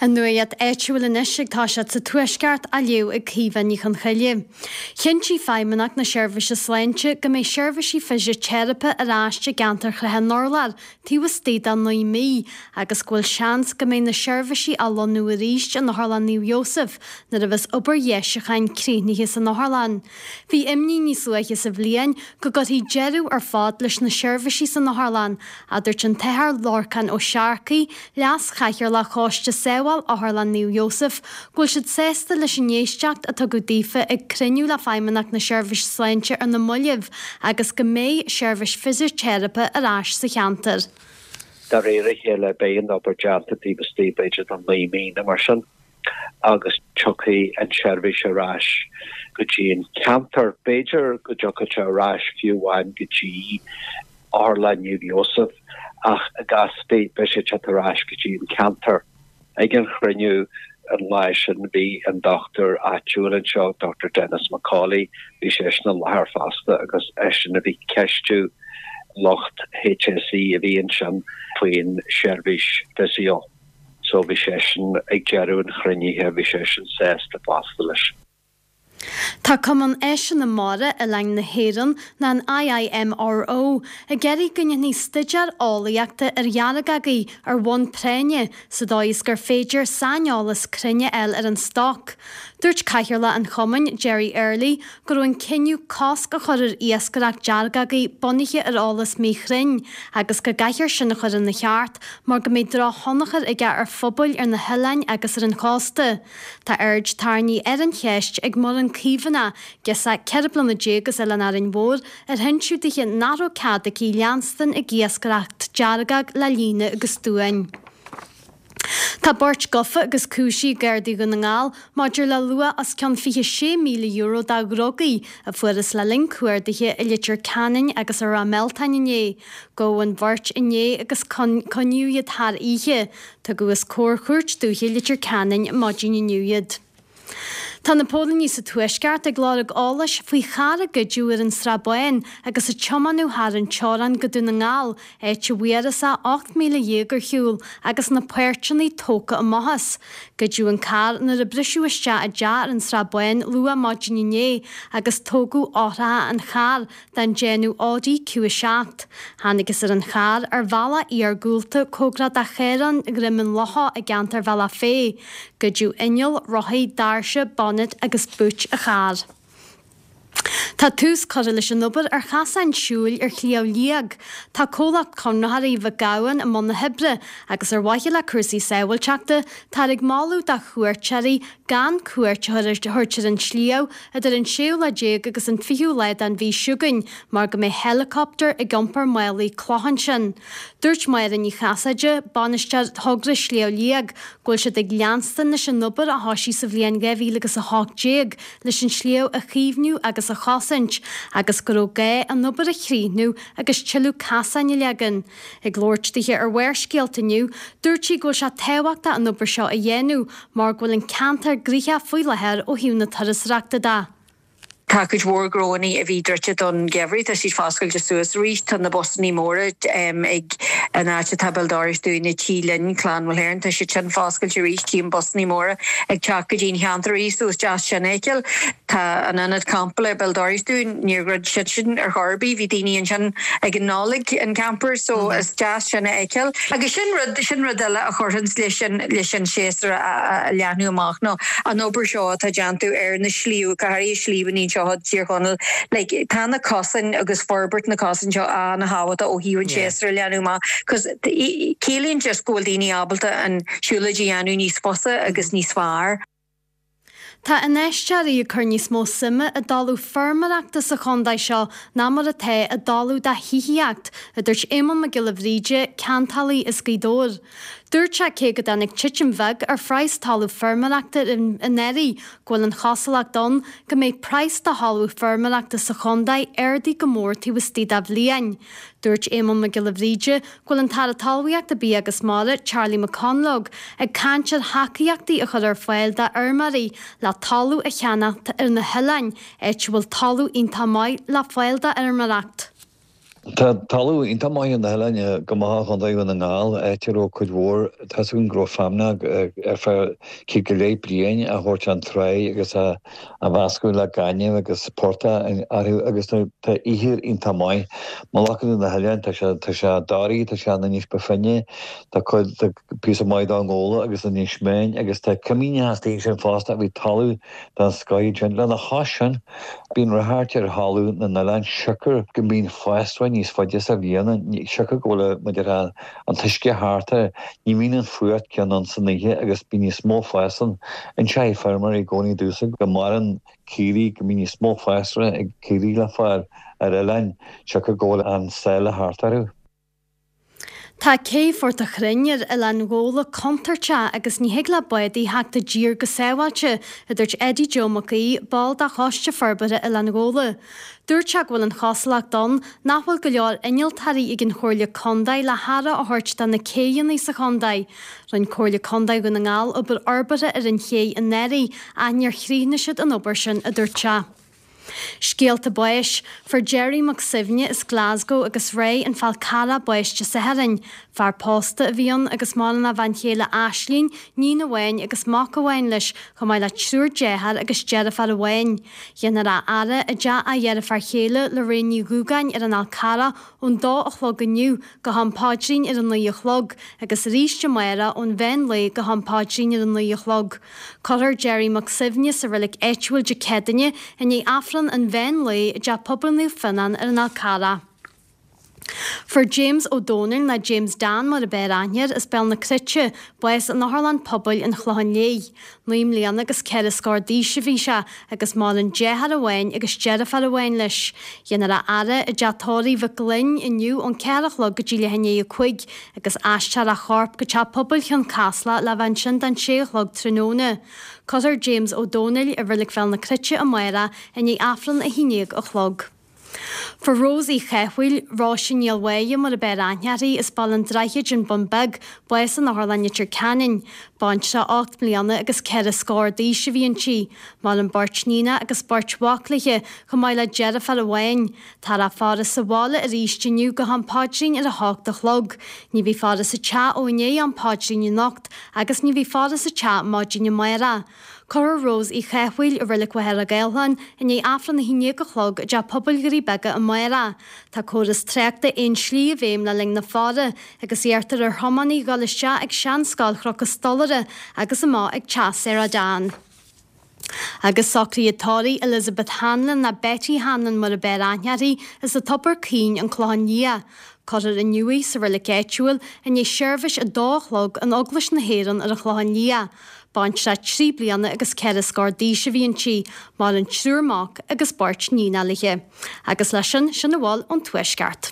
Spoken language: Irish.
An nuacht áitiúil anois ag toiseacht sa Tuaisceart á léamh ag Caoimhe Ní Chonchoille. Chinntigh Feidhmeannacht na Seirbhíse Sláinte go mbeidh seirbhísí fisiteiripe ar ais i gceantar Shrath an Urláir taobh istigh de 9 mí agus go bhfuil seans go mbeidh na seirbhísí á lonnú arís in Otharlann Naomh Iósaf nuair a bheas obair dheisiúcháin críochnaithe san otharlann. Bhí imní níos luaithe sa bhliain go gcuirfí deireadh ar fad leis na seirbhísí san otharlann, a dúirt an tAthair Lorcán Ó Searcaigh, Leas-Chathaoirleach Choiste Sábháil Otharlann Naomh Iósaf, go bhfuil siad sásta leis an éisteacht a tugadh daofa ag cruinniú le Feidhmeannacht na Seirbhíse Sláinte ar na mallaibh agus go mbeidh seirbhís fisiteiripe ar ais sa cheantar. De réir a chéile beidh an obair déanta taobh istigh b'fhéidir de 9 mí nó mar sin. agus tiocfaidh an tseirbhís ar ais go dtí an ceantar. B'fhéidir go dtiocfaidh sé ar ais fiú amháin go dtí Otharlann Naomh Iósaf ach i gcás ar bith beidh sé ag teacht ar ais go dtí an ceantar. Ag an chruinniú an lá sin bhí an dochtúir áitiúil anseo, Dr Denis McCauley, bhí seisean i láthair fosta agus eisean a bhí ag ceistiú lucht HSE a bhí ansin faoin seirbhís physio. So bhí seisean ag deireadh an chruinnithe, bhí seisean sásta fosta leis. Tá Cumann Áiseanna Mara Oileáin na hÉireann, ná an IIMRO, ag iarraidh go ndéanfaí staidéar eolaíochta ar dheargagaí ar bhonn práinne sa dóigh is gur féidir saineolas cruinn a fháil ar an stoc. Dúirt Cathaoirleach an chumainn, Gerry Early, go raibh an cinneadh cosc a chur ar iascaireacht deargagaí bunaithe ar eolas míchruinn agus go gcaithfear sin a chur ina cheart mar go mbeidh drochthionchar aige ar phobail ar na hoileáin agus ar an chósta. Tá aird tarraingthe ar an cheist ag Muireann Caomhánach, girseach 14 bliana as Oileán Árainn Mhór, ar hinseadh dithe nach raibh cead aici leanstan ag iascaireacht deargag le líne agus duáin. Tá beirt gafa agus cúisithe ag Gardaí Dhún na nGall maidir le luach os cionn €26,000 de dhrugaí a fuarthas le linn cuardaithe i Leitir Ceanainn agus i Ráth Mealtain inné. Gabhadh an bheirt inné agus coinníodh iad thar oíche. Tugadh os comhair Chúirt Dúiche Leitir Ceanainn maidin inniu iad. Tá na póilíní sa Tuaisceart ag lorg eolais faoi charr a goideadh ar an Srath Bán agus a tiomáineadh thar an teorainn go Dún na nGall, áit a bhfuarthas é 18,000 ar shiúl agus na páirteanna tógtha amach as. Goideadh an carr nuair a briseadh isteach i dteach ar an Srath Bán luath maidin inné agus tógadh eochracha an chairr den déanamh Audi Q7. Thángthas ar an charr ar bhealach iargúlta cóngarach do Chaorán Dhroim an Locha i gceantar Bhealach Féich. Goideadh inneall, rothaí, doirse, bonnet agus boot an chairr. Tá tús curtha leis an obair ar chasáin siúil ar Shliabh Liag. Tá comhlacht conraitheoirí Mhic Gabhann i mbun na hoibre agus ar mhaithe le cúrsaí sábháilteachta, táthar ag moladh do chuairteoirí gan cuairt a thabhairt ar an sliabh idir an séú lá déag agus an fichiú lá den mhí seo chugainn mar go mbeidh helicopter ag iompar málaí cloch ansin. Dúirt Máire Ní Chasaide, bainisteoir thogra Shliabh Liag, go bhfuil siad ag leanstan leis an obair a thoisigh sa bhliain 2018 leis an sliabh a chaomhnú agus a chosaint agus go raibh gá an obair a chríochnú agus tuilleadh casáin a leagan. Ag labhairt dithe ar Bharrscéalta inniu, dúirt sí go bhfuil sé tábhachtach an obair seo a dhéanamh mar go bhfuil an ceantar gnoitheach faoi láthair ó thaobh na turasóireachta de. Tá cuid mhór gnóannaí a bhí druidte don gheimhreadh, tá siad foscailte suas arís. Tá na busannaí móra ag an áit atá béal dorais dúinne, Tí Linn, Clann Mhulhern, tá siad sin foscailte arís. Tchím busannaí móra ag teacht go dtí an cheantar arís, so is deas sin a fheiceáil. Tá an ionad campála ar béal dorais dúinn, níor dhruid siad sin ar chor ar bith, bhí daoine ansin ag an Nollaig, an campers, so is deas sin a fheiceáil. Agus sin rud, sin rud eile a chuirfeanns leis an, leis an séasúr a leathnú amach ná an obair seo atá déanta ar na sliabh, go háirithe sliabhanna anseo i dTír Chonaill, like tá na cosáin agus forbairt na cosáin seo an-thábhachtach ó thaobh an séasúr a leathnú amach, 'cause ciallaíonn just go bhfuil daoine ábalta an siúlóid a dhéanamh níos fusa agus níos fearr. Tá infheisteoirí ag cur níos mó suime i dtalamh feirmeoireachta sa chontae seo ná mar atá i dtalamh do thithíocht, a dúirt Éamonn Mac Giolla Bhríde, ceantálaí as Gaoth Dobhair. Dúirt sé cé go dtáinig titim bheag ar phraghas talamh feirmeoireachta anuraidh, go bhfuil an chosúlacht ann go mbeidh praghas do thalamh feirmeoireachta sa chontae ardaithe go mór taobh istigh de bhliain. Dúirt Éamonn Mac Giolla Bhríde go bhfuil an tAire Talmhaíochta, Bia agus Mara, Charlie McConalogue, ag caint ar thacaíochtaí a chur ar fáil d'fheirmeoirí le talamh a cheannacht ar na hoileáin, áit a bhfuil talamh iontach maith le fáil d'fheirmeoireacht. Tá talamh iontach maith ar na hoileáin, go maith i gContae Dhún na nGall, áit a raibh cuid mhór, tá's againn go raibh feamnach ar feadh céad go leith bliain á thabhairt chun tráigh agus á mheascadh le gaineamh agus portach orthu agus tá ithir iontach maith. Mullach na n-oileán, tá sé, tá sé Dhoraí, tá sé in Inis Ba Finne, tá cuid, tá píosa maith d'Inis Gabhla agus Inis Meáin agus tá cimíneacha istigh ansin fosta a bhí talamh den scoith ansin. Lena chois sin, bíonn ráchairt ar thalamh na n-oileán siocair go mbíonn fásra níos faide sa bhliain ann, siocair go bhfuil, mar a déarfá, an t-uisce thart air, ní bhíonn an fuacht céanna ann san oíche agus bíonn níos mó fás ann. Inseoidh feirmeoirí i gcónaí domhsa go maireann caoirigh, go mbíonn níos mó fásra ag caoirigh le fáil ar oileáin siocair go bhfuil an sáile thart orthu. Tá cé Phort a' Chrainn ar Oileán Ghabhla contúirteach agus ní thig le bádaí theacht i dtír go sábháilte, a dúirt Eddie Joe Mac Aoidh, ball de Choiste Forbartha Oileán Ghabhla. Dúirt sé go bhfuil an chosúlacht ann nach bhfuil go leor innealtóirí ag an Chomhairle Contae le haire a thabhairt do na céidheanna sa chontae. Rinne Comhairle Contae Dhún na nGall obair fhorbartha ar an chéidh anuraidh ach níor chríochnaigh siad an obair sin, a dúirt sé. Scéalta báis, Fuair Gerry Mac Suibhne as Glasgow agus Ray an Fál Carrach bás Dé Sathairn. Fear pósta a bhí ann agus maireann a bhean chéile Aislínn, níon amháin agus mac amháin leis, chomh maith le triúr dearthár agus deirfiúr amháin. Dhéanfar a fhaire i dteach a dheirfiúr chéile Lorraine Ní Dhúgáin ar an Fhál Carrach ón dó a chlog inniu go ham paidrín ar a 9 a chlog agus arís amárach ón mheán lae go ham paidrín ar a 9 a chlog. Cuirfear Gerry Mac Suibhne sa reilig áitiúil Dé Céadaoine i ndiaidh Aifreann an mheán lae i dTeach Pobail Naomh Fionnán ar an Fhál Carrach. Fuair James Ó Dónaill, nó James Dan mar a b'fhearr aithne air, as Béal na Cruite, bás in Otharlann Pobail an Chlocháin Léith. 9 mbliana agus 4 scór d'aois a bhí sé agus maireann deartháir amháin agus deirfiúr amháin leis. Dhéanfar a fhaire i dteach tórraimh Mhic Gloinn inniu ón 4 a chlog go dtí leath i ndiaidh 5 agus aistreofar a chorp go Teach Pobail Chionn Caslach le bheith ansin don 6 a chlog tráthnóna. Cuirfear James Ó Dónaill i Reilig Bhéal na Cruite amárach i ndiaidh Aifreann 11 a chlog. Fuair Rose Uí Chathmhaoil, Róise Ní Mháille mar a b'fhearr aithne uirthi, as Baile an Droichid, An Bun Beag, bás in Otharlann Leitir Ceanainn. Baintreach 8 mbliana agus 4 scór d'aois a bhí inti. Maireann beirt níonach agus beirt mhac léi, chomh maith le deirfiúr amháin. Táthar á faire sa bhaile arís inniu go ham paidrín ar a hocht a chlog. Ní bheidh faire sa teach ó i ndiaidh am paidrín anocht agus ní bheidh faire sa teach maidin amárach. Cuirfear Rose Uí Chathmhaoil i Reilig Mhachaire Gathlán i ndiaidh Aifreann 11 a chlog i dTeach Pobail Dhoirí Beaga amárach. Tá córas tráchta aon slí i bhfeidhm le linn na faire agus iarrtar ar thiománaithe dhul isteach ag Seanscoil Chnoc an Stolaire agus amach ag Teach Sarah Dan. Agus socruithe tórraimh Elizabeth Hanlon, nó Betty Hanlon mar a b'fhearr aithne uirthi, as an Tobar Caoin, An Clochán Liath. Cuirfear inniu í sa reilig áitiúil i ndiaidh seirbhís 2 a chlog in Eaglais na hÉireann ar an Chlochán Liath. Baintreach 3 bliana agus 4 scór d'aois a bhí inti, maireann triúr mac agus beirt níonacha léi. Agus leis sin, sin a bhfuil ón Tuaisceart.